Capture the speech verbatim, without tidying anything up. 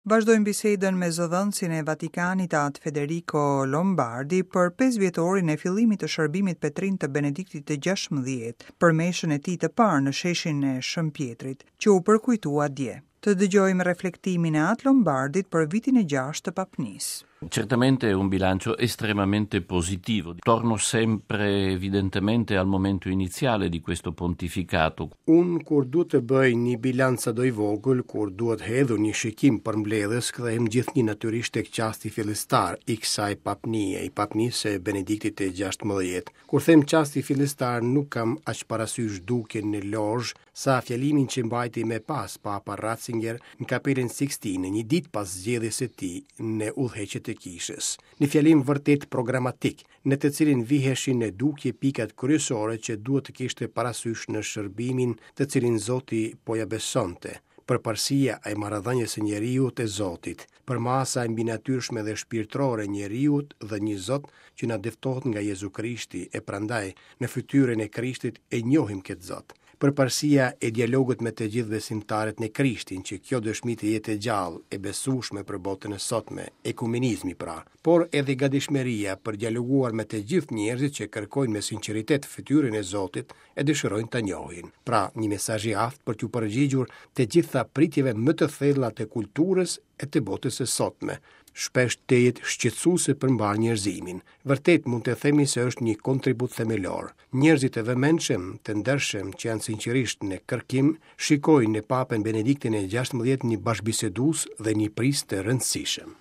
Vazhdojmë bisedën me zëdhënësin e Vatikanit, At Federico Lombardi, për pesë vjetorin e fillimit të shërbimit Petrin të Benediktit të gjashtëmbëdhjetë, për meshën e tij të parë në sheshin e Shën Pjetrit, që u përkujtua dje. Të dëgjojmë reflektimin e At Lombardit për vitin e gjashtë të papnisë. Certamente è un bilancio estremamente positivo. Torno sempre evidentemente al momento iniziale di questo pontificato. Unë kur duhet të bëj një bilanc sado i vogël, kur duhet hedhur një shikim përmbledhës, kthehem gjithnjë natyrisht tek çasti fillestar i kësaj papnie, i papnisë së Benediktit të gjashtëmbëdhjetë. Kur them çasti fillestar, nuk kam aq parasysh dukjen në lozhë, sa fjalimin që mbajti më pas Papa Ratzinger në Kapelën Sixtine, një ditë pas zgjedhjes së tij në udhëheqje të kishës. Një fjalim vërtet programatik, në të cilin viheshin në dukje pikat kryesore që duhet të kishte parasysh në shërbimin të cilin Zoti po ja besonte. Përparësia e marrëdhënies së njeriut e Zotit, përmasa e mbinatyrshme dhe shpirtërore e njeriut dhe një Zot që na dëftohet nga Jezu Krishti, e prandaj në fytyrën e Krishtit e njohim këtë Zot. Përparësia e dialogut me të gjithë besimtarët në Krishtin, që kjo dëshmi të jetë e gjallë, e besueshme për botën e sotme, ekumenizmi pra, por edhe gatishmëria për dialoguar me të gjithë njerëzit që kërkojnë me sinqeritet fytyrën e Zotit e dëshirojnë ta njohin. Pra, një mesazh i aftë për t'u përgjigjur të gjitha pritjeve më të thella të kulturës e të botës së sotme, shpesh tejet shqetësuese për mbar njerëzimin. Vërtet mund të themi se është një kontribut themelor. Njerëzit e vëmendshëm, të ndershëm që janë sinqerisht në kërkim, shikojnë në Papën Benediktin e gjashtëmbëdhjetë një bashkëbisedues dhe një prijës të rëndësishëm.